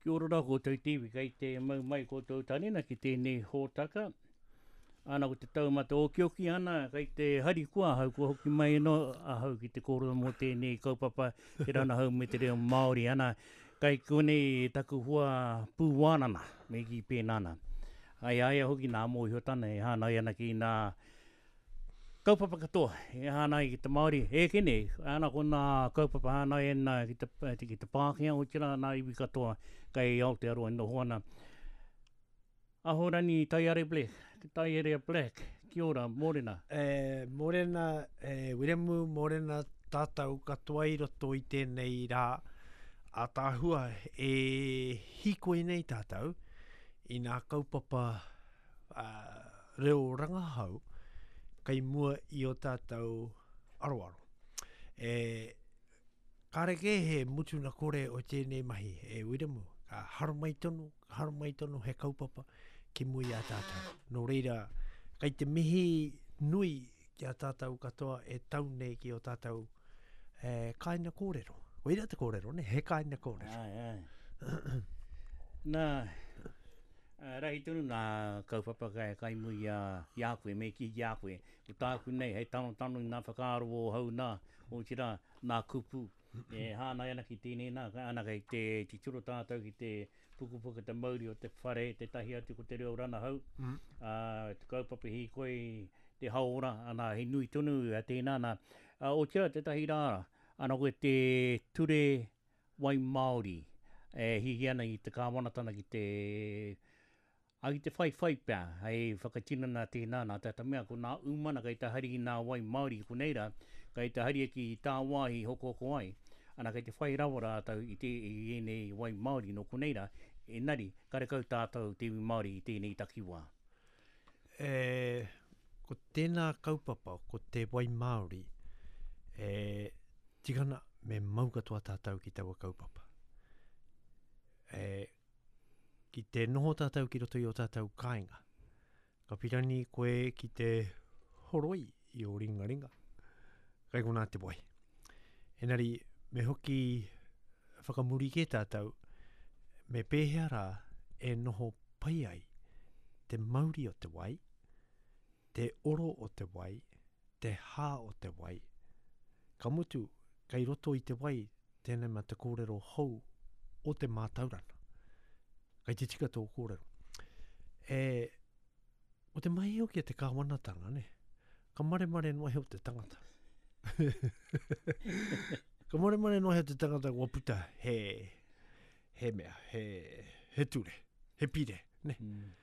Kia ora rā koutou te iwi, kei te mau mai koutou tanina ki tēnei hōtaka. Ana ko te taumata okioki ana, kei te harikoa ahau kua hoki mai anō ahau ki te kōrero mō tēnei kaupapa te ranahau me te reo Māori. Ana, kei konei taku hoa pūwānana, me kī pēnā ana. Ai a ia hoki nā mōhiotana e hāngai ana ki nā Kaupapa katoa e hāngai ki te Māori, e kene, ana ko nā kaupapa hāngai ana ki te, ki te Pākehā, otirā nā iwi katoa kei Aotearoa e noho ana. Ahorangi Taiare Black, Taiarea Black, kia ora, mōrena. E, mōrena, e, Wiremu, mōrena tātou katoa i roto i tēnei rā ātaahua e hīkoi nei tātou i nā kaupapa reo rangahau kei mua i o tātou aroaro. E, kāre kē he mutuna kore o tēnei mahi, e Wiremu, ka haramai tonu, ka haramai tonu he kaupapa ki mua i a tātou. Nō reira, kei te mihi nui ki a tātou katoa e tau nei ki o tātou e, kāinga kōrero. Koira te kōrero, ne? He kāinga kōrero. Ai, ai. Nā, rahi tonu nā kaupapa kai, kai mui i a, i a koe, me kī ki a koe. Ko tāku nei, hei tanotano i nā whakaaro o hau nā, otirā, nā kupu e hāngai ana ki tēnei nā, ana kei te titiro tātou ki te pukupuku te mauri o te whare, tētahi atu ko te reo ranahau, mm. ā, te kaupapa hīkoi, te hauora, ana, he nui tonu a tēnā nā. Ā, otirā tētahi rā, ana koe te ture wai Māori e hiahia ana i te kāwanatana ki te, ā, ki te whaiwhai pea hei whakatinana tēnā nā te mea ko nā umana kei te hari i nā wai Māori ki konei rā, kei te haria ki tāwāhi hokohoko ai, ana kei te whai rawa rātou i te, i ēnei wai Māori nō konei rā, engari karekau tātou te iwi Māori i tēnei takiwā. E, ko tēnā kaupapa, ko te wai Māori, e, tikana me mau katoa tātou ki taua kaupapa. E, ki te noho tātou ki roto i o tātou kāinga, ka pirani koe ki te horoi i o ringaringa, kai konā te wai. Engari, me hoki whakamuri kē tātou, me pēhea rā e noho pai ai te mauri o te wai, te oro o te wai, te hā o te wai. Ka mutu, kei roto i te wai tēnei mea te kōrero hou o te mātauranga. Kei te tika tō kōrero. E, o te mahi hoki a te kāwanatanga, ne? Ka maremare noa iho te tangata. ka maremare noa iho te tangata kua puta he, he mea, he, he ture, he pire, ne? Mm.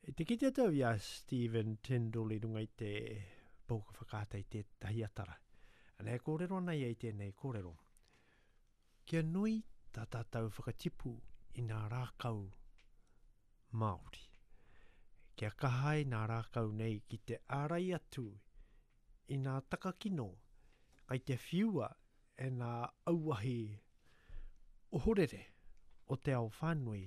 E te kite atu au i a Stephen Tindall i runga i te pouaka whakaata i tētahi atara. Ana e kōrero ana ia i tēnei kōrero. Kia nui tā tātou whakatipu i nā rākau Māori. Kia kaha ai nā rākau nei ki te ārai atu i nā takakino kai te whiua e nā auahi ohorere o te ao whānui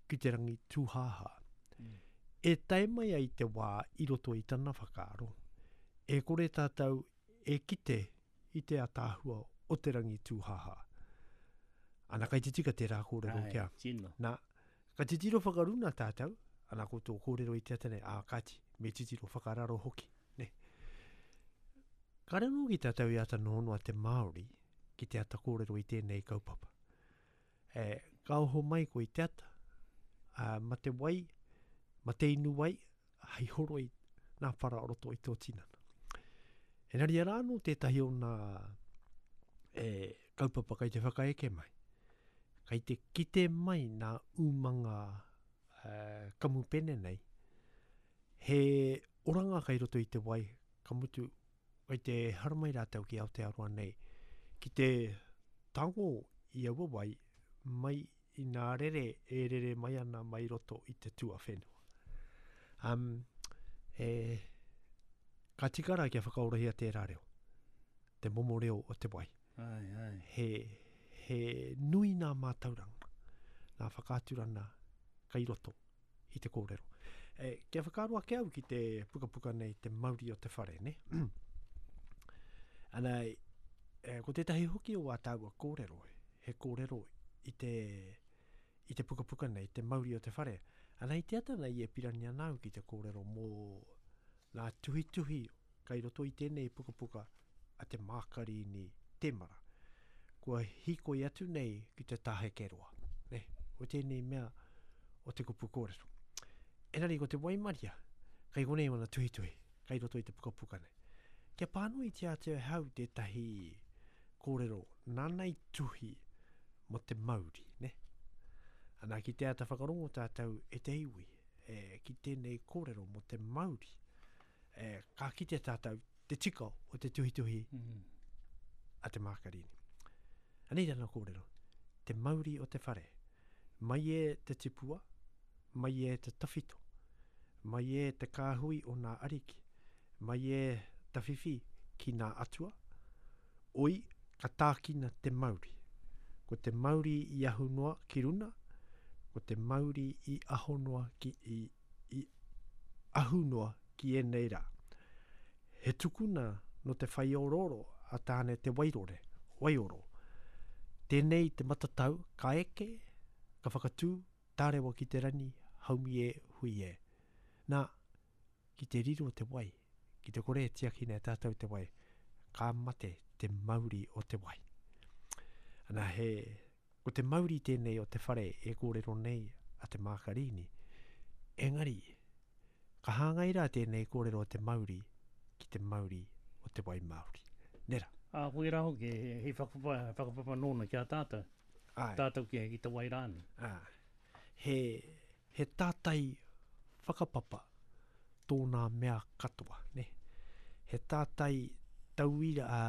ki te rangi tūhāhā. Mm. E tae mai ai te wā i roto i tana whakaaro, e kore tātou e kite i te ataahua o te rangi tūhāhā. Ana kai te tika tērā kōrero kia. Tino. Nā, ka titiro whakaruna tātou, ana ko tō kōrero i te ata nei, ā, kāti, me titiro whakararo hoki. Ne? Kāre anō ki tātou i āta noho noa te Māori ki te ata kōrero i tēnei kaupapa. E, ka oho mai koe i te ata, ā, ma te wai, ma te inu wai, hei horoi nā whara o roto i tō tinana. Engari arā anō tētahi o nā e, kaupapa kei te whakaeke mai. Kei te kite mai nā umanga e, kamupene nei, he oranga kei roto i te wai, ka mutu, kei te haramai rātou ki Aotearoa nei, ki te tango i aua wai mai i nā rere e rere mai ana mai roto i te tuawhenua. Um, e, ka tika rā kia whakaorahia tērā reo, te momo reo o te wai. Ai, ai. He, he nui nā mātauranga, nā whakaaturana kai roto i te kōrero. E, kia whakaaro ake au ki te pukapuka nei, te mauri o te whare, ne? Ana, e, ko tētahi hoki o ā tāua kōrero, he kōrero i te, i te pukapuka nei, te mauri o te whare. Ana i te ata nei e pirangi ana au ki te kōrero mō nā tuhituhi kai roto i tēnei pukapuka a Te Mākarini Temara. Kua hīkoi atu nei ki te Tāhekeroa, ne, o tēnei mea o te kupu kōrero. Engari ko te waimaria, kai konei wana tuhituhi, kai roto i te pukapuka nei. Kia pānuitia atu e hau tētahi kōrero nāna i tuhi mō te mauri, ne? Ana ki te āta whakarongo tātou e te iwi, e, ki tēnei kōrero mō te mauri, e, ka kite tātou te tika o te tuhituhi mm. a Te Mākarini. Anei tana kōrero, te mauri o te whare, mai e te tipua, mai e te tawhito, mai e te kāhui o nā ariki, mai e tawhiwhi ki nā atua, oi ka tākina te mauri. Ko te mauri i ahu noa ki runa, ko te mauri i aho noa ki, i, i ahu noa ki ēnei rā. He tukuna nō te whaiorooro a Tāne Te Wairore, Waioro. Tēnei te matatau ka eke, ka whakatū, tārewa ki te rangi, haumi e, hui e. Nā, ki te riro te wai, ki te kore e tiakina e tātou te wai, ka mate te mauri o te wai. Ana he, ko te mauri tēnei o te whare e kōrero nei a Te Mākarini. Engari, ka hāngai rā tēnei kōrero o te mauri ki te mauri o te wai Māori. Nera? Ā, koirā hoki, he whakapapa, whakapapa nōna ki a tātou. Āe. Tātou ki, ki te wai rānei. Āe. He, he tātai whakapapa tōnā mea katoa, ne? He tātai tauira, ā,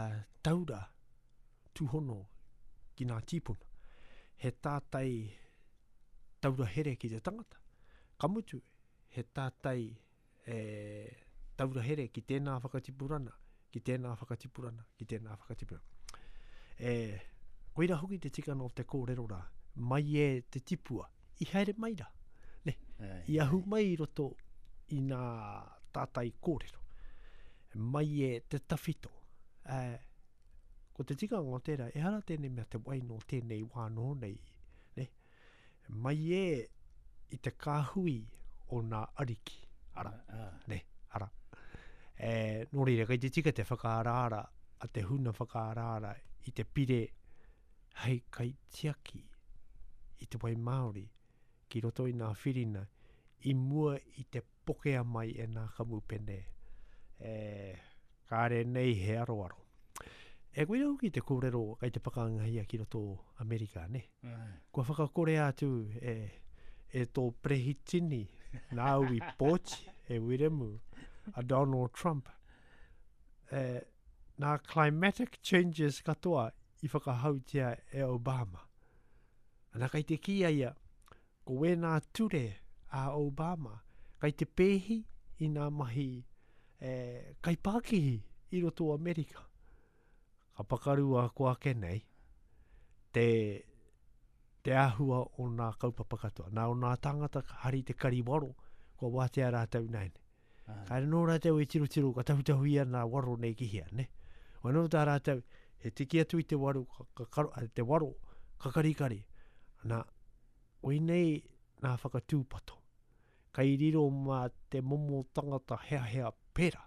taura tūhono ki nā tīpuna. He tātai taura here ki te tangata. Ka mutu, he tātai e, taura here ki tēnā whakatipurana, ki tēnā whakatipurana, ki tēnā whakatipurana. E, koira hoki te tikanga o te kōrero rā, mai e te tipua, i haere mai rā, ne? I ahu mai i roto i nā tātai kōrero. Mai e te tawhito, e, Ko te tikanga o tērā, ehara tēnei mea te wai nō tēnei wā nō nei, ne? Mai e i te kāhui o nā ariki, ara, ne, ara. E, nō reira, kei te tika te whakaaraara a te huna whakaaraara i te pire hei kaitiaki i te wai Māori ki roto i nā whirina i mua i te pokea mai e nā kamupene e kāre nei he aroaro. E koira hoki te kōrero kei te whakaangahia ki roto o Amerika, ne? Kua whakakorea atu e, e tō perehitini nāu i pōti, e Wiremu, a Donald Trump. E, nā climatic changes katoa i whakahautia e Obama. Ana kei te kī a ia, Ko wēnā ture a Obama kai te pēhi i nā mahi e, kaipākihi i roto o Amerika. Ka pakaru a ko ake nei te, te āhua o nā kaupapa katoa. Nā o nā tāngata ka hari te kari waro, kua wātea rātou nāianei. Kāre nō rātou e tirotiro ka tahutahuia nā waro nei ki hea, ne? Wai nō tā rātou, he tiki atu i te waru, ka, ka, ka, te waro, ka karikari. Nā, koinei nā whakatūpato. Kai riro mā te momo tangata heahea pera.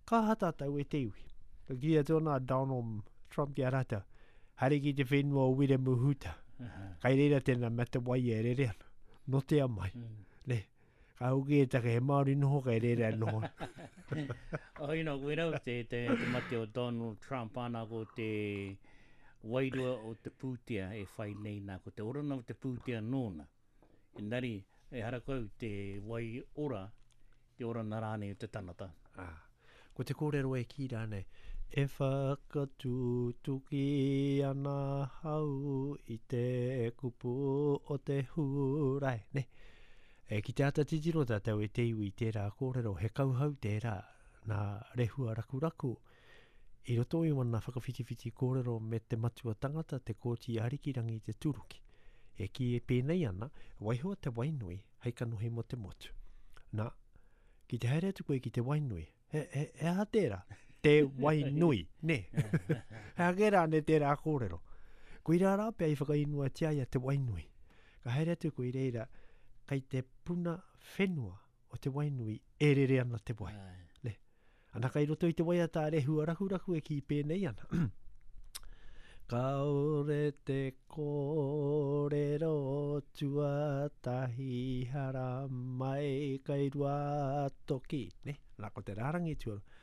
Ka aha tātou e te iwi? Ka kī atu ana a Donald Trump ki a rātou, haere ki te whenua o Wiremu Huta. Kai reira tēnā mea te wai e rere ana. Notea mai. Mm. Ne? Ka hoki e take he Māori noho kei reira e noho. Oh, you know, koe rau te, te, te mate o Donald Trump ana ko te wairua o te pūtea e whai nei nā, ko te orana o te pūtea nōna. Engari, ehara kau te wai ora, te orana rānei o te tangata. Ah. Ko te kōrero e kī rānei, E whakatutuki ana ahau i te kupu o te Hūrae. Ne? E, ki te āta titiro tātou e te iwi i tērā kōrero, he kauhau tērā nā Rehua Rakuraku i roto i wana whakawhitiwhiti kōrero me te matua tangata, Te Kooti Arikirangi Te Turuki. E kī e pēnei ana, waiho te wainui hei kanohi mō te motu. Nā, Ki te haere atu koe ki te wainui, he, he, he aha tērā? Te wainui, nē. He aha kē rānei tērā kōrero? Koirā rā pea i whakaingoatia ai a te wainui. Ka haere atu koe i reira, kei te puna whenua o te Wainui e rere ana te wai. Ne? Ana kai roto i te waiata a Rehua Rakuraku e kī pēnei ana. Kaore te kōrero tuatahi hara mai kai Ruatoki. Ne? Ana ko te rārangi tuarua.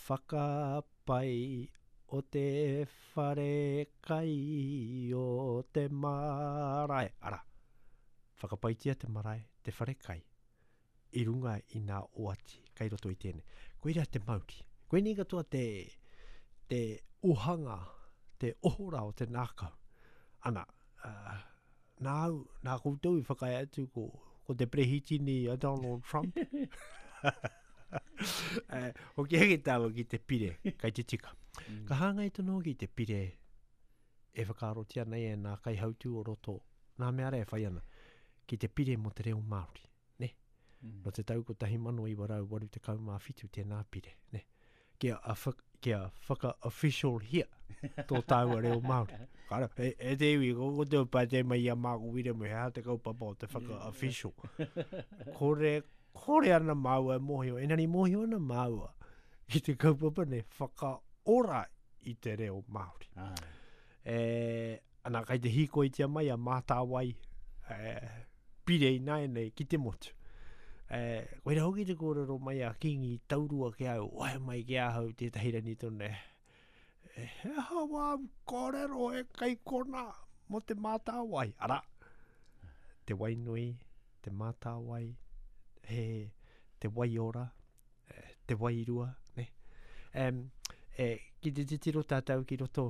Whakapai o te whare kai o te marae. Ara, whakapaitia te marae, te whare kai, i runga i nā oati kai roto i tēnei. Koira te mauri. Koinei katoa te, te ohanga, te ohora o te nākau. Ana, uh, nāu, nā koutou i whakaae atu ko, ko te perehitini a Donald Trump. eh, hoki ake tāua ki te pire, kai te tika. Mm. Ka hāngai tonu hoki te pire e whakaarotia nei e nā kaihautū o roto, nā mea rā e whai ana, ki te pire mō te reo Māori, ne? Mm. No te tau 1987 tēnā pire, ne? Kia, a, kia whaka-official hia tō tāua reo Māori. Kara, e, e te iwi, ko ko te pātai mai i a Māko Wiremu, he aha te kaupapa o te whaka-official. Kore, kore ana māua e mōhio, engari mōhio ana māua ki te kaupapa nei, whakaora i te reo Māori. Ai. E, ana, kai te hīkoitia mai a Mātāwai, e, pire ināianei ki te motu. E, koira hoki te kōrero mai a Kīngi Taurua ki au, wae mai ki ahau tētahi rangi tonu, e, he aha wā kōrero e kai kona mō te Mātāwai? Ara, te wainui, te Mātāwai, he, te waiora, te wairua, ne? Um, e, ki te titiro tātou ki roto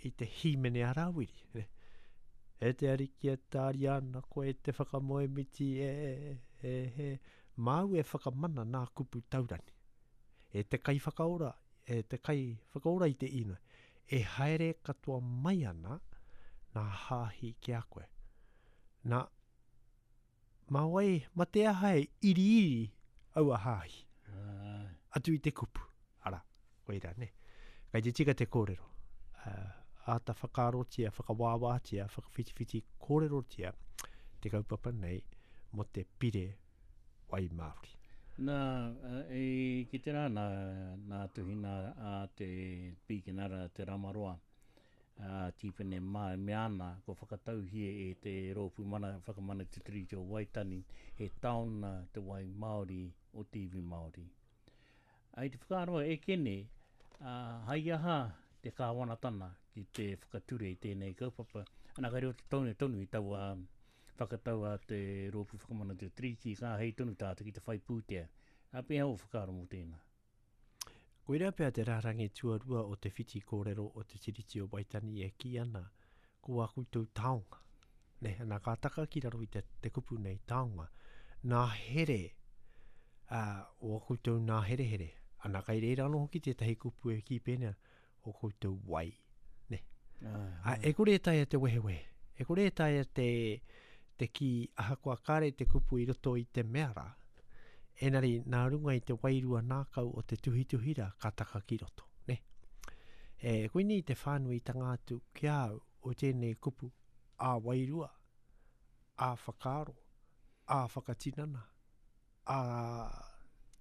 i te hīmene a Rāwiri, ne? E te Ariki e tāria ana koe te whakamoemiti e, e, e, māu e whakamana nā kupu taurani. E te kaiwhakaora, e te kaiwhakaora i te inoi, e haere katoa mai ana nā hāhi ki a koe. Nā, Mā wai, ma te aha e iriiri aua hāhi? Atu i te kupu. Ara, koira, ne. Kai te tika te kōrero. Uh, āta whakaarotia, whakawāwātia, whakawhitiwhiti kōrerotia te kaupapa nei mō te pire wai Māori. Nā, e ki te rā, nā, nā tuhina a te Pīkenara Te Ramaroa, a Tīpene mā e mea ana kua whakatauhia e te Rōpū Mana Whakamana Te Tiriti o Waitangi he taona te wai Māori o te iwi Māori. I te whakaaro e Kene, hai aha te kāwanatana ki te whakature i tēnei kaupapa, ana ka riro tonu tonu i taua whakatau a te Rōpū Whakamana Te Tiriti ka āhei tonu tātou ki te whai pūtea. Ā, pēhea ō whakaaro mō tēnā? Koirā pea te rārangi tuarua o te whiti kōrero o Te Tiriti o Waitangi e kī ana, ko ā koutou taonga. Nē, ana ka taka ki raro i te, te kupu nei, taonga, nā here, ā, o ā koutou nā herehere. Ana kai reira anō hoki tētahi kupu e kī pēnei ana, o koutou wai. Ne? Ah, e kore e taea te wehewehe. E kore e taea te, te kī ahakoa kāre te kupu i roto i te mea rā. Enari, nā runga i te wairua nākau o te tuhituhi rā, ka taka ki roto. Ne? E, koinei te whānuitanga atu ki a au o tēnei kupu ā-wairua, ā-whakaaro, ā-whakatinana, a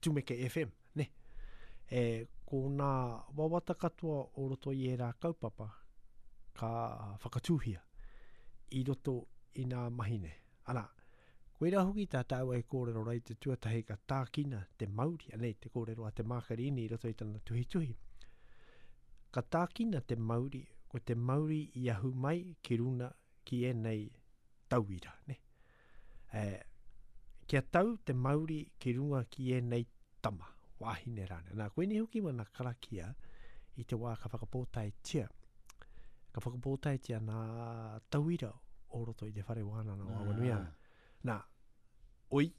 Tumeke FM, ne? E, ko nā wawata katoa o roto i ērā kaupapa ka whakatūhia i roto i nā mahi nei. Arā, koirā hoki tā tāua e kōrero rai te tuatahi ka tākina te mauri, anei te kōrero a Te Mākarini i roto i tana tuhituhi. Ka tākina te mauri, ko te mauri i ahu mai ki runa ki ēnei tauira, ne? E, kia tau te mauri ki runga ki ēnei tama, wāhine rānei. Nā, koinei hoki wana karakia i te wā ka whakapōtaetia, ka whakapōtaetia nā tauira o roto i te whare wānanga o Awanuiārangi. Nā, oi,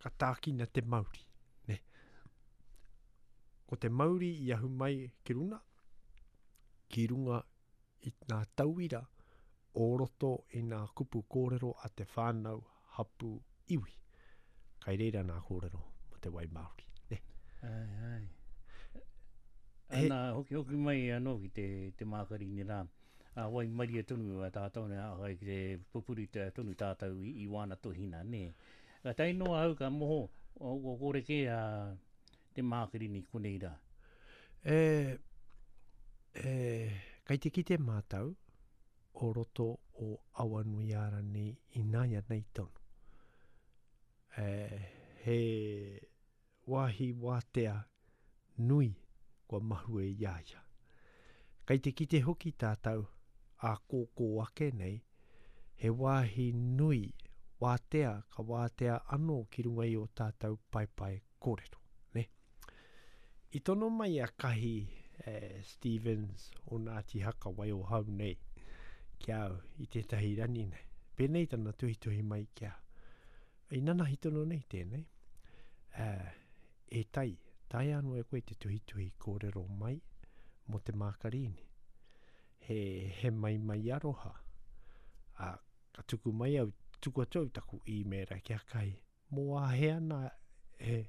ka tākina te mauri, ne? Ko te mauri i ahu mai ki runa, ki runga i ngā tauira o roto i ngā kupu kōrero a te whānau, hapū, iwi. Kai reira ngā kōrero mō te wai Māori. Ne? Ai, ai. Ana, hoki hoki mai anō ki te, te Mākarini rā. Ā, waimarie tonu a tātou nei, ā, ki te pupuri tonu tātou i, i wāna tuhina, nē. Ka tae noa au ka moho, o, o kore kē a te Mākarini konei rā. E, e, kei te kite mātou o roto o Awanuiārani ināianei tonu. E, he wāhi wātea nui kua mahue i a ia. Kei te kite hoki tātou ā kōkō ake nei, he wāhi nui wātea ka wātea anō ki runga i ō tātou paepae kōrero, nē? I tono mai a Kahi Stevens o Ngāti Haka Waiohau nei ki a au i tētahi rani nei. Pēnei tana tuhituhi mai ki a au. I nanahi tonu nei tēnei. Uh, e tai, taea anō e koe te tuhituhi kōrero mai mō te Mākarīni. He, he maimai aroha. A, ka tuku mai au, tuku atu au taku īmēra ki a Kai. Mō āhea nā e,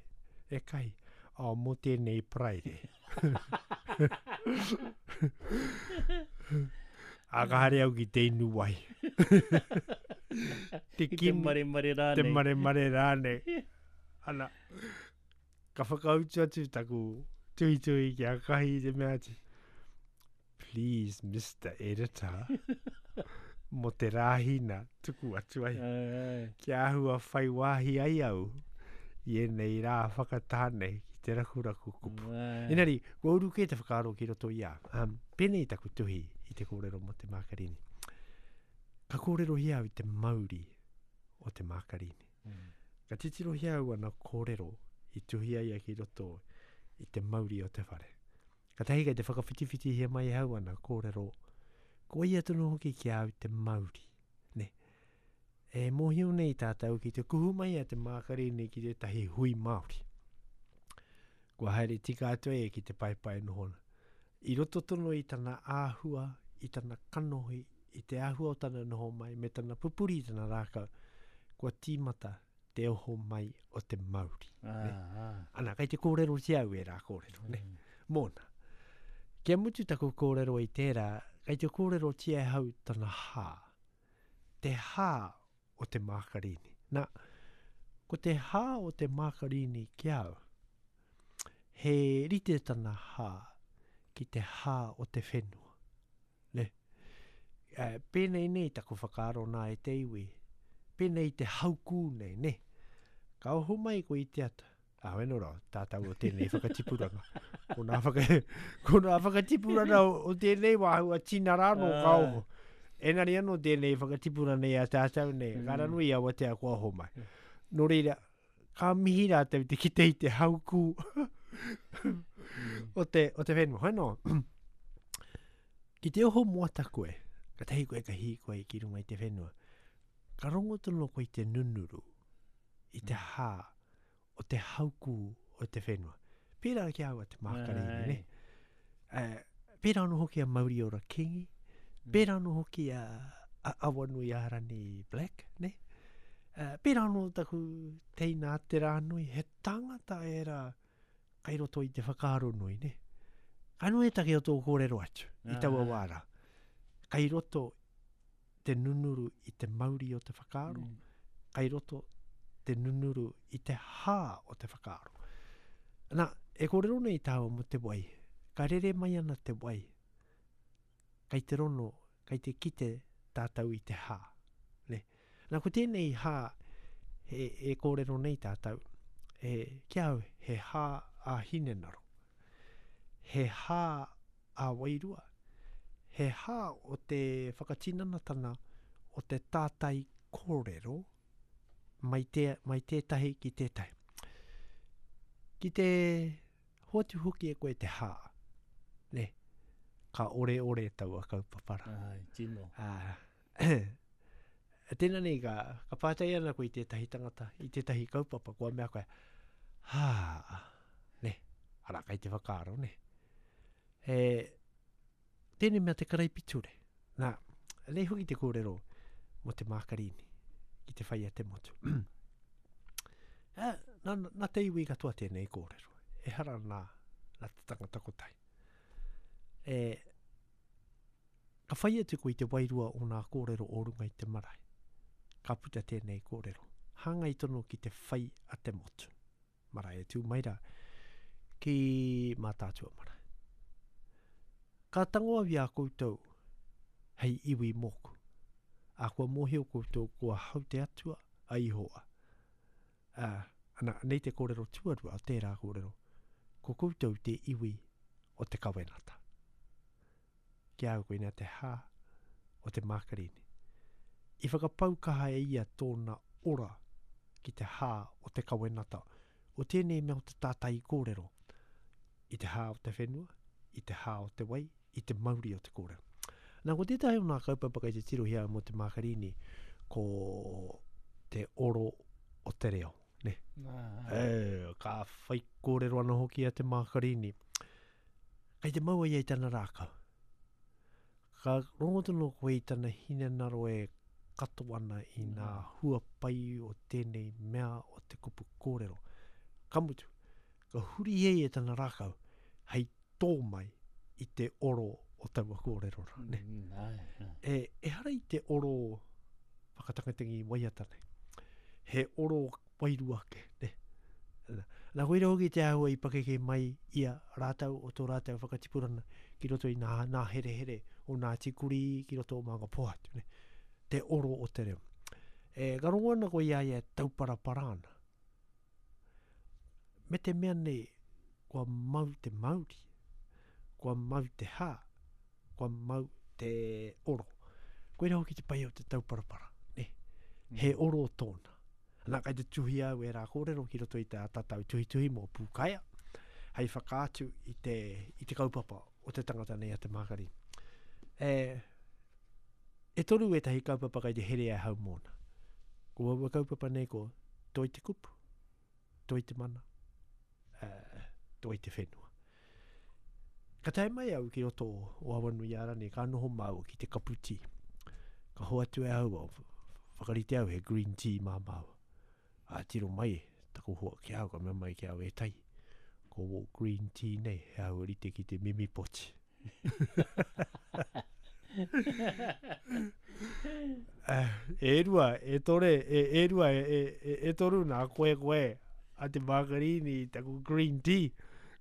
e Kai? Oh, mō tēnei Paraire. A ka haere au ki te inu wai. te kimi, te maremare rānei. Te maremare rānei. Ana, ka whakautu atu taku tuhituhi ki a Kahi i te mea atu, Please, Mister Editor, mo te Rāhina tuku atu ai. Kia āhua whai wāhi ai au i ēnei rā whakatā nei ki te rakuraku kupu. Engari, kua uru kē te whakaaro ki roto i a au. Um, pēnei taku tuhi i te kōrero mō te Mākarini. Ka kōrerohia au i te mauri o te Mākarini. Mm. Ka titirohia au ana kōrero i tuhia ia ki roto i te mauri o te whare. Katahi kei te whakawhitiwhitihia mai e au ana kōrero, ko ia tonu hoki ki a au te mauri, ne. E mōhio nei tātou ki te kuhu mai a Te Mākarini ki tētahi hui Māori. Kua haere tika atu e ki te paepae noho ana. I roto tonu i tana āhua, i tana kanohi, i te āhua o tana noho mai, me tana pupuri i tana rākau, kua tīmata te oho mai o te mauri. Ah, ne? ah. Ana, kei te kōrerotia au ērā kōrero, ne? Mm. Mōna. Kia mutu taku kōrero i tērā, kei te kōrerotia e hau tana hā. Te hā o te mākarini. Nā, ko te hā o te mākarini ki au, he rite tana hā ki te hā o te whenua. Ne? E, pēnei nei taku whakaaro nā e te iwi, pēnei te haukū nei, ne? Ka oho mai koe i te ata. Ah, weno rā, tātou o tēnei whakatipuranga. Ko nā, whaka, ko nā whakatipuranga o, o tēnei wāhua tina rā nō ka oho. Engari anō tēnei whakatipuranga i a tātou nei, mm. ka ranu i awatea kua oho mai. Nō reira, ka mihi rātou te kite i te haukū mm. o te, o te whenua. Hoi nō, Ki te oho moata koe, katahi koe ka hīkoi ki runga i te whenua, ka rongo tonu koe i te nunuru, i te hā o te haukū o te whenua. Pērā ki a au a Te Mākarini, ne? Uh, pērā anō hoki a Mauriora Kingi, mm. pērā anō hoki a, a Awanuiārani Black, ne? Uh, pērā anō taku teina a Te Rānui, he tangata ērā kai roto i te whakaaro nui, ne? Ka nui take o tō kōrero atu i taua wā rā. Kai roto te nunuru i te mauri o te whakaaro, mm. kai roto te nunuru i te hā o te whakaaro. Nā, e kōrero nei tāua mō te wai, ka rere mai ana te wai, kei te rono, kei te kite tātou i te hā. Ne? Nā, ko tēnei hā e, e kōrero nei tātou, e, ki au, he hā a hinengaro, he hā a wairua, he hā o te whakatinanatanga o te tātai kōrero mai, te, mai tētahi ki tētahi. Ki te Hoatu hoki e koe te hā, ne? Ka oreore taua kaupapa rā. Ai, tino. Ā, tēnā nei ka, ka pātai ana koe i tētahi tangata, i tētahi kaupapa, kua mea koe, hā, ne, arā, kai te whakaaro, ne? E, Tēnei mea te karaipiture. Nā, nei hoki te kōrero mō te Mākarini ki te whai a te motu. Eh, nā, nā te iwi katoa tēnei kōrero. Ehara nā, nā te tangata kotahi. E, Ka whai atu koe i te wairua o nā kōrero o runga i te marae. Ka puta tēnei kōrero. Hāngai tonu ki te whai a te motu. Marae e tū mai rā ki Mātaatua marae. Ka tango au i a koutou hei iwi mōku, ā, kua mōhio koutou ko ahau te Atua a Ihowa. Ā, ana, anei te kōrero tuarua o tērā kōrero, ko koutou te iwi o te kawenata. Ki a au koinā te hā o te Mākarini. I whakapau kaha e ia tōna ora ki te hā o te kawenata, o tēnei mea o te tātai kōrero, i te hā o te whenua, i te hā o te wai, i te mauri o te kōrero. Nā, ko tētahi o ngā kaupapa kei te tirohia mō te Mākarini, ko te oro o te reo. Ne? E, ka whai kōrero anō hoki a te Mākarini. Kei te mau ia i tana rākau. Ka rongo tonu koe i tana hinengaro e kato ana i ngā hua pai o tēnei mea o te kupu kōrero. Ka mutu, ka huri e ia tana rākau hei tō mai i te oro o taua kōrero rā. Ne? Mm, e, ehara i te oro whakatangitangi waiata nei. He oro wairua ake, ne? Nā, koira hoki te āhua i pakeke mai ia rātou o tō rātou whakatipurana ki roto i nā, nā herehere o Ngāti Kurī ki roto o Maungapōhatu, ne? Te oro o te reo. E, ka rongo ana koe i a ia e tauparapara ana. Me te mea nei, kua mau te mauri, kua mau te hā, kua mau te oro. Koira hoki te pai o te tauparapara, ne? He mm. oro tōna. Nā, kai te tuhi au e rā kōrero ki roto i te atatau tuhituhi mō Pūkaea, hei whakaatu i te, i te kaupapa o te tangata nei a Te Mākari. E, e toru ētahi kaupapa kai te here ahau mōna. Ko aua kaupapa nei ko Toi te kupu, Toi te mana, uh, Toi te whenua. Ka tae mai au ki roto o Awanuiārani, ka noho māua ki te kapu tī. Ka hoatu e au, whakarite au he green tea mā māua. A tiro mai taku hoa ki au, ka mea mai ki au, e tai, ko wō green tea nei, he āhua rite ki te mimi poti. E rua, e tore, e, e rua, e, e, e toru nā koe koe a te Mākarini i taku green tea.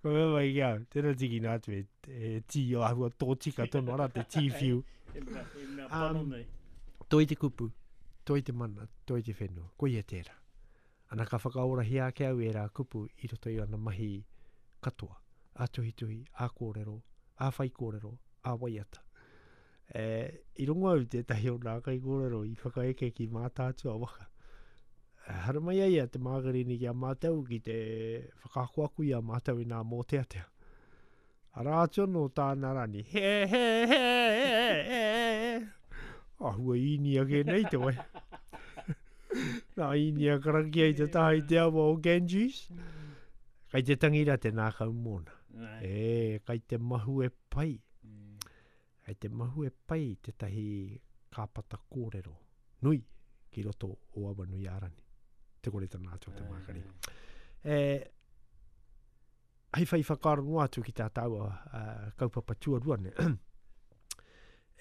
Ko mea mai ki au, tēnā tīkina atu e, e tī o ahua tōtika tonu ara te tea whiu. He mea, he mea pano um, nei. Toi te kupu, toi te mana, toi te whenua. Koia tērā. Ana ka whakaorahia ake au ērā kupu i roto i ana mahi katoa, ā tuhituhi, ā kōrero, ā whaikōrero, ā waiata. E, i rongo au tētahi o nā kaikōrero i whakaeke ki Mātaatua waka. E, haramai ai a Te Mākarini ki a mātou ki te whakaakoako i a mātou i nā mōteatea. Arā atu anō tāna rani, he, he, he, he, he. Āhua Īnia kē nei te wai. Nā Īnia karakia i te taha i te awa o Ganges. Kai te tangi rā te nākau mōna. E, kai te mahue pai. Kai te mahue pai tētahi kāpata kōrero nui ki roto o Awanuiārani. Te kore tana atu o te Mākari. E, hei whai whakaaro noa atu ki tā tāua uh, kaupapa tuarua nei.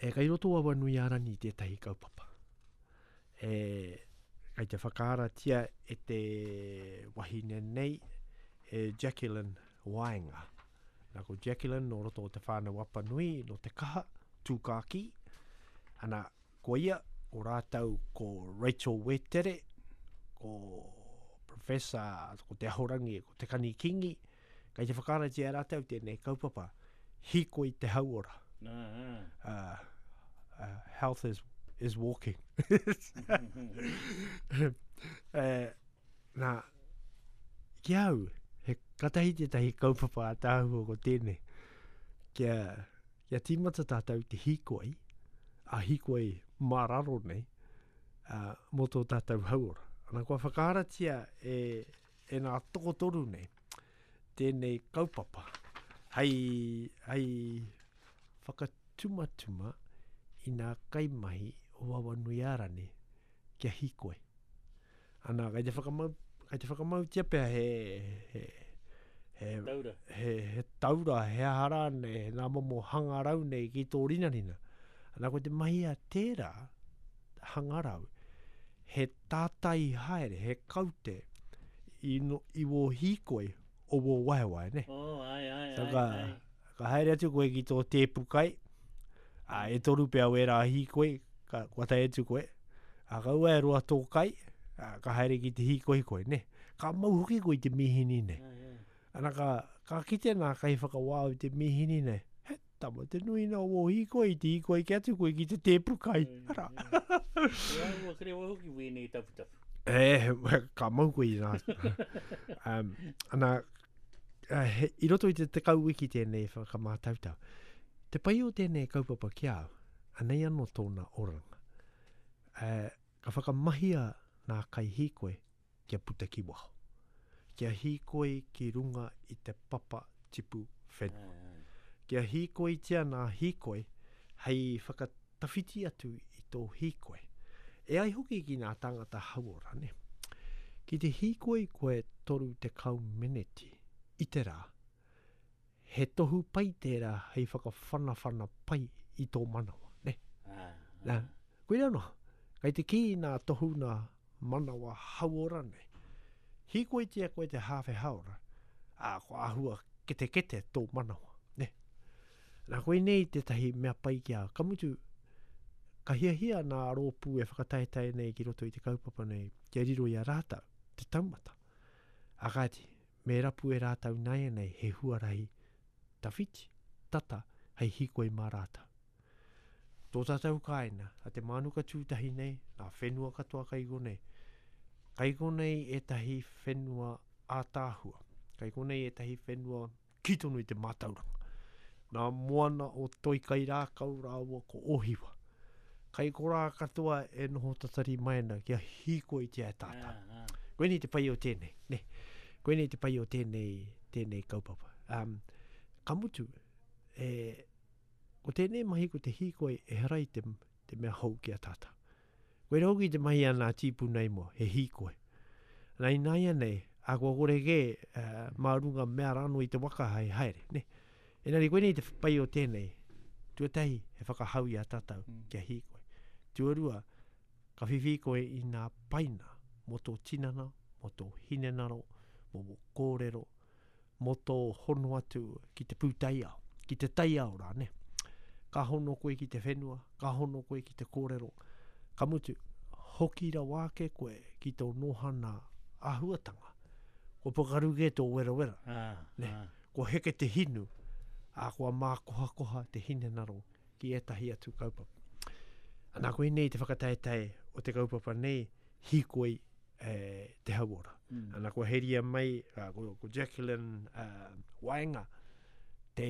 e, kai roto o Awanuiārani tētahi kaupapa. E, kai te whakaaratia e te wahine nei, e Jacqueline Waenga. Nā ko Jacqueline nō roto o Te Whānau Apanui, nō Te Kaha, Tūkākī. Ana, ko ia, ko rātou ko Rachel Wetere, ko Professor, ko Te Ahorangi, ko Te Kani Kingi, kei te whakaaratia e rātou tēnei kaupapa, hīkoi te hauora. Uh, uh, health is, is walking. uh, nā, ki au, he katahi tētahi kaupapa ātaahua ko tēnei, kia, kia tīmata tātou te hīkoi, a hīkoi mā raro nei, uh, mō tō tātou hauora. Ana, kua whakaaratia e, e nā tokotoru nei, tēnei kaupapa, hei, hei whakatumatuma i nā kaimahi o Awanuiārani kia hīkoi. Ana, kei te whakamau, kei te whakamautia pea he, he, he, taura. He, he taura, he aha rānei, he nā momo hangarau nei ki tō rinarina. Ana ko te mahi a tērā hangarau, he tātai haere, he kaute i, no, i wō hīkoi o wō waewae, ne? Oh, ai, ai, so, ai, ka, ai. Ka haere atu koe ki tō tēpu kai, ā, e toru pea wērā hīkoi, ka, kua tae atu koe, ā, kaua e roa tō kai, ā, ka haere ki te hīkoi koe, ne? Ka mau hoki koe i te mīhini nei. Ana ka, ka kite nā kaiwhakawā i te mīhini nei, he tama te nui nā wō hīkoi, i te hīkoi ke atu koe ki te tēpu kai, arā. He āhua kerewa hoki wēnei taputapu. E, ka mau koe i nā. um, ana, he, i roto i te tekau wiki tēnei whakamātautau. Te pai o tēnei kaupapa ki a au, anei anō tōna oranga. Uh, ka whakamahia nā kaihīkoi kia puta ki waho. Kia hīkoi ki runga i te papa tipu whenua. Kia hīkoitia nā hīkoi hei whakatawhiti atu i tō hīkoi. E ai hoki ki nā tāngata hauora, ne? Ki te hīkoi koe 30 meneti i te rā, he tohu pai tērā hei whakawhanawhana pai i tō manawa, ne? Nā, koirā noa, kei te kī nā tohu nā manawa hauora nei. Hīkoitia koe te hāwhe hāora, ā, kua āhua ketekete tō manawa, ne? Nā, koinei tētahi mea pai ki a au. Ka mutu, ka hiahia nā rōpū e whakataetae nei ki roto i te kaupapa nei kia riro i a rātou te taumata. Ā kāti, me rapu e rātou nāianei he huarahi tawhiti, tata, hei hīkoi mā rātou. Tō tātou kāina, a Te Mānuka Tūtahi nei, ngā whenua katoa kai konei. Kai konei ētahi whenua ātaahua, kai konei ētahi whenua kī tonu i te mātauranga. Nā moana o Toikairākau rāua ko Ōhiwa. Kai korā katoa e noho tatari mai ana kia hīkoitia e tātou. Koinei te pai o tēnei, ne? Koinei te pai o tēnei, tēnei kaupapa. Um, ka mutu, e, ko tēnei mahi ko te hīkoi ehara i te, te mea hou ki a tātou. Koira hoki te mahi a nā tīpuna i mua, he hīkoi. Nā ināianei, ā, kua kore kē, mā runga mea rānō i te waka hei haere, nē. Engari koinei te pai o tēnei, tuatahi, he whakahau i a tātou kia hīkoi. Tuarua, ka whiwhi koe i nā paina mō tō tinana, mō tō hinengaro, mō wō kōrero, mō tō hono atu ki te pūtaiao, ki te taiao rānei. Ka hono koe ki te whenua, ka hono koe ki te kōrero, ka mutu, hoki rawa ake koe ki tō nōhana āhuatanga. Kua pakaru kē tō werawera, nē? Kua heke te hinu, ā, kua mākohakoha te hinengaro ki ētahi atu kaupapa. Anā, koinei te whakataetae o te kaupapa nei, hīkoi e, te hauora. Mm. Ana, kua heria mai, uh, ko, ko Jacqueline uh, Waenga, te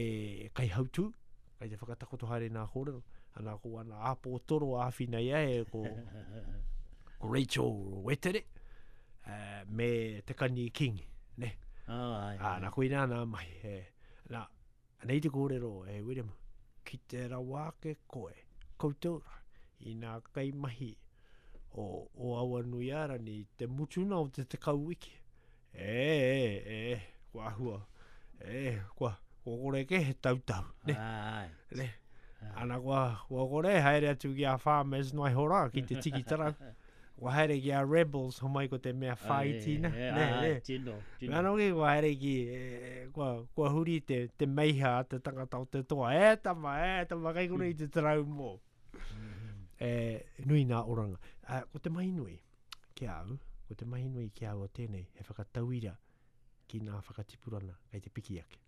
kaihautū, kai te whakatakoto haere nā kōrero. Ana, ko ana āpōtoro āwhina ia e, ko, ko Rachel Wetere, uh, me Te Kani Kingi, ne? Oh, ai, ai. Ana, koina nā mahi. E, nā, Anei te kōrero e Wiremu, ki te rawa ake koe, koutou rā, i nā kaimahi o, o Awanuiārani i te mutuna o te tekau wiki. E, e, e, kua ahua, e, kua, kua kore kē he tautau, ne? Ai. Ne? Ana kua, kua kore haere atu ki a Farmers noa iho rā, ki te tiki tarau. Kua haere ki a Rebels, homai ko te mea whāiti na. Ai, ai, ai, tino, tino. Mea noki kua haere ki, e, kua, kua huri te, te meiha a te tangata o te toa. E tama, e tama, kei konei te tarau mō. E, nui nā oranga. A, ko te mahi nui ki a au, ko te mahi nui ki a au o tēnei, he whakatauira ki nā whakatipurana kei te piki ake.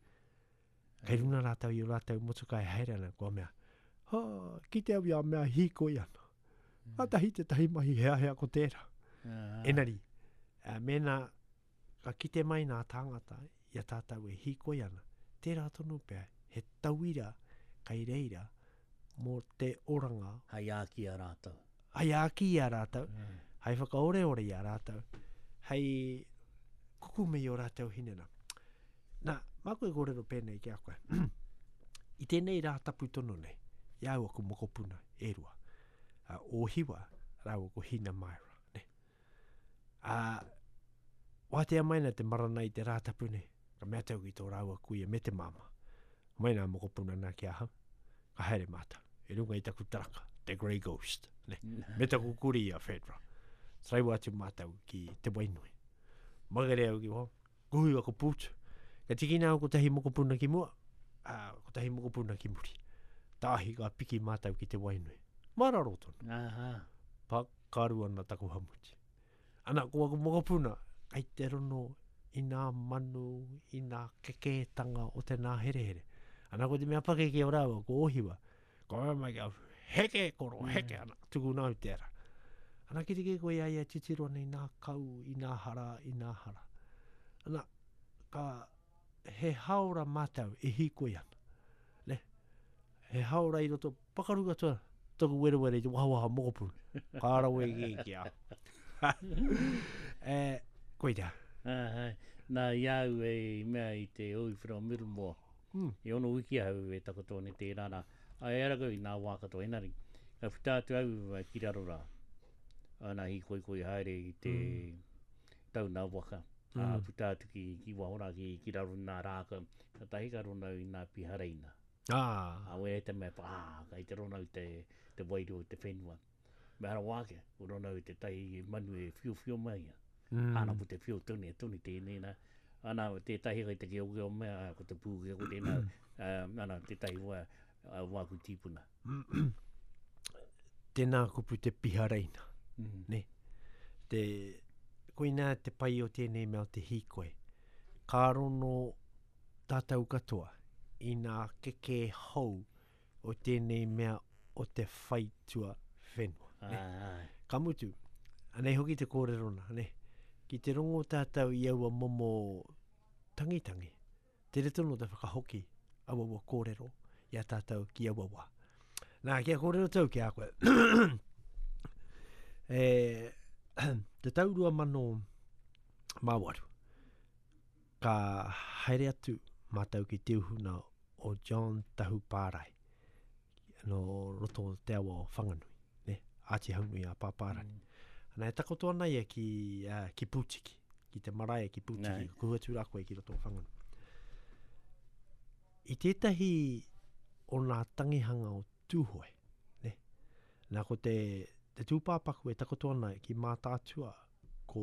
Kei runga rātou i o rātou motuka e haere ana, kua mea, ha, kite au i a mea hīkoi ana. Kātahi tētahi mahi heahea ko tērā. Engari, mēnā ka kite mai nā tāngata i a tātou e hīkoi ana, tērā tonu pea he tauira kei reira mō te oranga. Hei āki i a rātou. Hei āki i a rātou, hei whakaoreore i a rātou, hei kukume i ō rātou hinengaro. Nā, māku e kōrero pēnei ki a koe. I tēnei rā tapu tonu nei, i a au aku mokopuna e rua, a Ōhiwa rāua ko Hina Myra, ne? Ā, wātea mai ana te marana i te rā tapu nei, ka mea atu ki tō rāua kuia me te māmā, Mai nā mokopuna nā ki ahau, ka haere mātou. i runga i taku taraka, te Grey Ghost, ne? Me taku kuri a Fedra. Taraiwa atu mātou ki Te Wainui. Makere au ki waho, kuhu aku pūtu. Ka tikina au kotahi mokopuna ki mua, ā, kotahi mokopuna ki muri. Tāhi ka piki mātou ki Te Wainui. Mararo tonu. Aha. Pakaru ana taku hamuti. Ana, ko aku mokopuna, kei te rono i nā manu, i nā kekētanga o te nāherehere. Ana, ko te mea pakeke o rāua, ko Ohiwa, ko mea mai ki au, heke koro, heke, ana, tukuna au tērā. Ana, ki te kē koe i a ia titiro ana i nā kau, i nā hara, i nā hara. Ana, ka, he haora mātou e hīkoi ana. Ne? He haora i roto, pakaru katoa taku werewere i te wahawaha mokopuna. Ka rawe ki ki a. e, koira. Uh, nā, i a au e mea i te Oiwhera o Middlemore, mm. i ono wiki ahau e takoto ana tērā rā. Ai ara kau i nā wā katoa, engari, ka puta atu au ki raro rā. Ana hīkoikoi haere i te mm. tauna waka. Mm. Ā, puta atu ki, ki waho rā, ki, ki raro i nā rākau. Katahi ka rona au i nā pihareina. Ah. A wera te mea, ah, kai te rona au te, te wairua o te whenua. Me ara wā ake, ko rona au te tai manu e whiowhio mai ia. Mm. Ana ko te whio tonu, e tonu tēnei nā. Ana, tētahi kai te keokeo mea, ko te pūke, ko tēnā, uh, ana, tētahi wā, uh, wāku tīpuna. Tēnā kupu te pihareina. Mm. Ne? Te, koinā te pai o tēnei mea o te hīkoi. Ka rono tātou katoa i nā kekē hou o tēnei mea o te whaitua whenua. Ne? Ka mutu, anei hoki te kōrero nā, ne? Ki te rongo tātou i aua momo tangitangi, tere tonu te whakahoki aua kōrero i a tātou ki aua wā. Nā, kia kōrero tau ki a koe. e, te tau 2008, ka haere atu mātou ki te uhuna o John Tahu Pārae, no roto o te awa o Whanganui, ne? Āti Haunui a Pāpārani. Mm. Ana, e takoto ana ia ki, uh, ki Pūtiki, ki te marae ki Pūtiki, ka kuhu atu rā koe ki roto o Whanganui. I tētahi o nā tangihanga o Tūhoe, ne? Nā ko te, te tūpāpaku e takoto ana ki Mātaatua, ko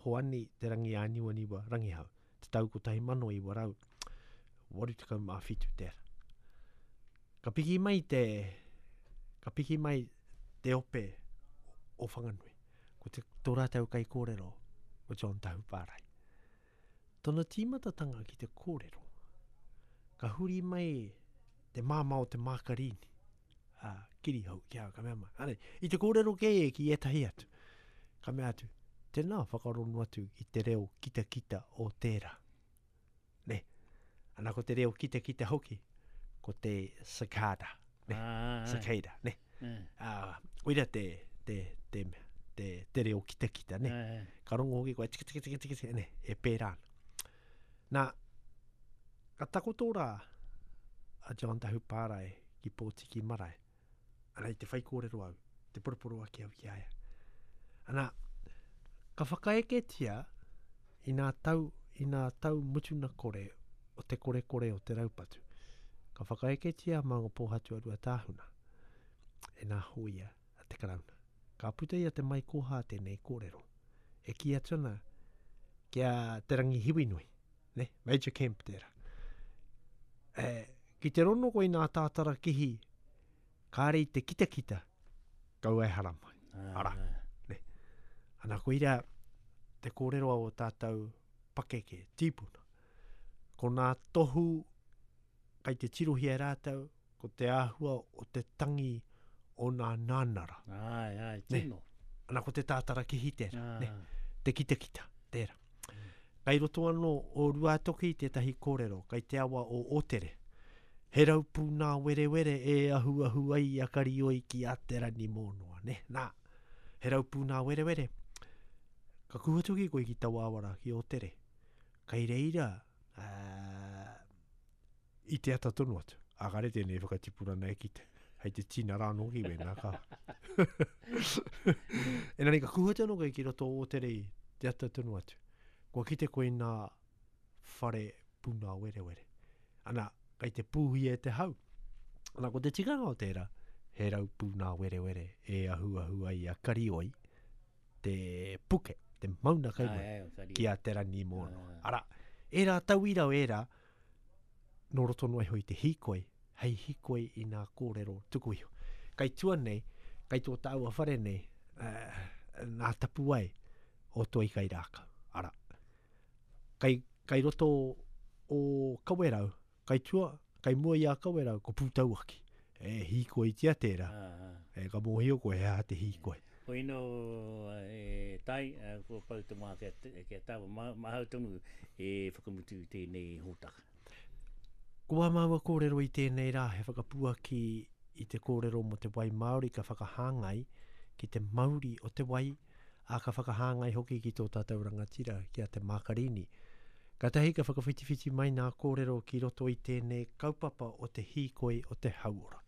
Hoani Te Rangiāniwaniwa Rangihau, te tau 1987 tērā. Ka piki mai te, ka piki mai te ope o Whanganui. Ko te, tō rātou kaikōrero, ko John Tahupārai. Tona tīmatatanga ki te kōrero, ka huri mai te māmā o te Mākarīni, a Kirihou ki a ka mea mai. Anei, i te kōrero kē e ki ētahi atu. Ka mea atu, tēnā whakarono atu i te reo kitakita o tērā. Ne? Ana ko te reo kitakita hoki, ko te cicada. Ne? Ah, cicada, ne? Ah, koira te, te, te, te, te reo kitakita, ne? Ka rongo hoki koe, tika, tika, tika, tika, tika, ne? E pērā ana. Nā, ka takoto rā a John Tahupārae ki Pōtiki Marae. Ana i te whaikōrero au, te poroporoaki au ki a ia. Ana, ka whakaeketia i nā tau, i nā tau mutuna kore o te korekore o te raupatu. Ka whakaeketia a Maungapōhatu a Ruatāhuna e nā hōia a te Karauna. Ka puta i a Te Maikoha tēnei kōrero. E kī atu ana ki a Te Rangihiwinui, ne? Major Kemp tērā. E, ki te rono koe i nā tātara kihi, kāre i te kitakita, kaua e haramai. Ara, ne? Ana koira te kōrero a o tātou pakeke, tīpuna. Ko nā tohu kai te tirohia e rātou, ko te āhua o te tangi o nā nānara. Āe, āe, tino. Ne? Ana ko te tātara kihi tērā, ah. ne? Te kitakita, tērā. Mm. Kai roto anō o Ruātoki tētahi kōrero, kai te awa o Ōtere. He raupū nā werewere e ahuahu ai a Karioi ki a Te Ranimōnoa, ne? Nā, he raupū nā werewere. Ka kuhu atu ki koe ki taua awa rā, ki Ōtere. Kai reira, uh, I te ata tonu atu. A kare tēnei whakatipurana e kite. Hei te tina rā anō ki wēnā ka. Engari ka kuhu atu anō koe ki roto o Ōtere i te ata tonu atu. Kua kite koe i nā whare puna werewere. Ana, kei te pūhia e te hau. Nā, ko te tikanga o tērā, he raupū nā werewere e ahuahu ai a Karioi, te puke, te mauna kai mai, ki a Te Rangimōnoa. Arā, ērā tauira o ērā, nō roto noa iho i te hīkoi, hei hīkoi i nā kōrero tuku iho. Kai tua nei, kai tō tāua whare nei, uh, nā tapuwae o Toi Kai Rākau. Arā, kai, kai roto o Kawerau, Kai tua, kai mua i a Kawerau, ko Pūtauaki. E hīkoitia tērā. E ka mōhio koe he aha te hīkoi. Koino e Tai, kua pau te wā kia tāua, mahau tonu e whakamutu i tēnei hōtaka. Ko ā māua kōrero i tēnei rā he whakapuaki i te kōrero mō te wai Māori ka whakahāngai ki te mauri o te wai, ā, ka whakahāngai hoki ki tō tātou rangatira, ki a Te Mākarini. Kātahi ka whakawhitiwhiti mai nā kōrero ki roto i tēnei kaupapa o te hīkoi o te hauora.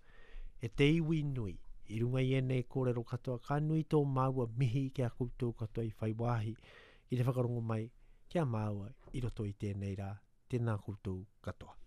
E te iwi nui, i runga i ēnei kōrero katoa ka nui tō māua mihi ki a koutou katoa i whai wāhi ki te whakarongo mai ki a māua i roto i tēnei rā, tēnā koutou katoa.